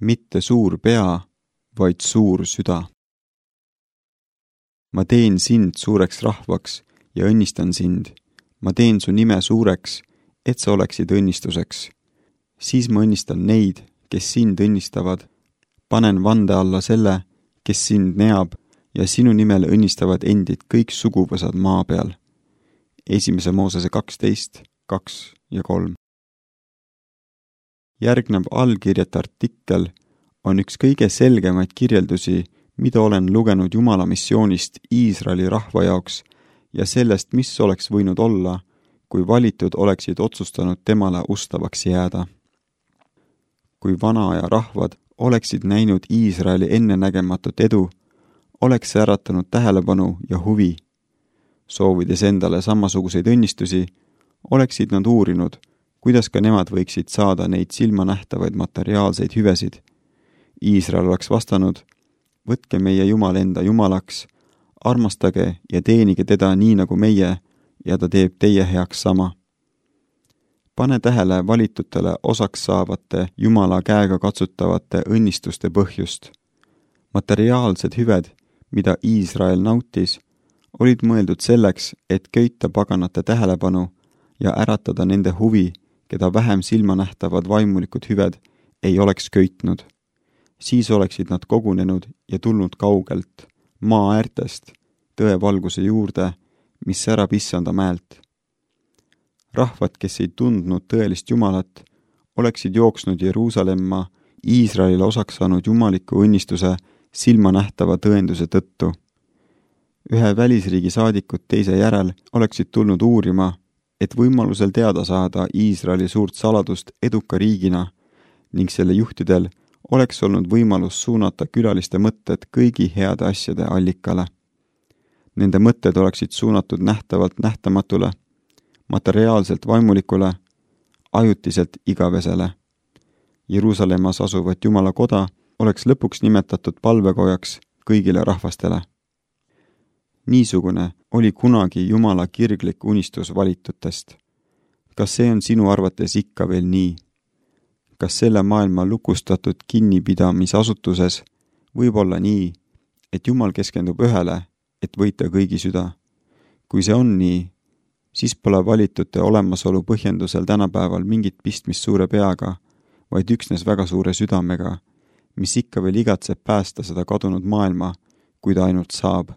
mitte suur pea, vaid suur süda. Ma teen sind suureks rahvaks ja õnnistan sind. Ma teen su nime suureks, et sa oleksid õnnistuseks. Siis ma õnnistan neid, kes sind õnnistavad. Panen vande alla selle, kes sind neab, ja sinu nimel õnnistavad endid kõik suguvõsad maa peal. 1. Moosese 12, 2 ja 3. Järgnev allkirjata artikkel on üks kõige selgemaid kirjeldusi, mida olen lugenud Jumala missioonist Iisraeli rahva jaoks ja sellest, mis oleks võinud olla, kui valitud oleksid otsustanud temale ustavaks jääda. Kui vanaaja rahvad oleksid näinud Iisraeli ennenägematut edu, oleks see äratanud tähelepanu ja huvi. Soovides endale samasuguseid õnnistusi, oleksid nad uurinud, kuidas ka nemad võiksid saada neid silmanähtavaid materiaalseid hüvesid. Iisrael oleks vastanud, võtke meie Jumal enda Jumalaks, armastage ja teenige teda nii nagu meie ja ta teeb teie heaks sama. Pane tähele valitutele osaks saavate Jumala käega katsutavate õnnistuste põhjust. Materiaalsed hüved, mida Iisrael nautis, olid mõeldud selleks, et köita paganate tähelepanu ja äratada nende huvi, keda vähem silmanähtavad vaimulikud hüved ei oleks köitnud. Siis oleksid nad kogunenud ja tulnud kaugelt, maa äärtest, tõevalguse juurde, mis särab issanda mäelt. Rahvad, kes ei tundnud tõelist Jumalat, oleksid jooksnud Jeruusalemma Iisraelile osaks saanud jumaliku õnnistuse silmanähtava tõenduse tõttu. Ühe välisriigi saadikud teise järel oleksid tulnud uurima, et võimalusel teada saada Iisraeli suurt saladust eduka riigina ning selle juhtidel oleks olnud võimalus suunata külaliste mõtted kõigi heade asjade allikale. Nende mõtted oleksid suunatud nähtavalt nähtamatule, materiaalselt vaimulikule, ajutiselt igavesele. Jeruusalemmas asuvat Jumala koda oleks lõpuks nimetatud palvekojaks kõigile rahvastele. Niisugune oli kunagi Jumala kirglik unistus valitutest. Kas see on sinu arvates ikka veel nii? Kas selle maailma lukustatud kinnipidamisasutuses võib olla nii, et Jumal keskendub ühele, et võita kõigi süda? Kui see on nii, siis pole valitute olemasolu põhjendusel tänapäeval mingit pistmist suure peaga, vaid üksnes väga suure südamega, mis ikka veel igatseb päästa seda kadunud maailma, kui ta ainult saab.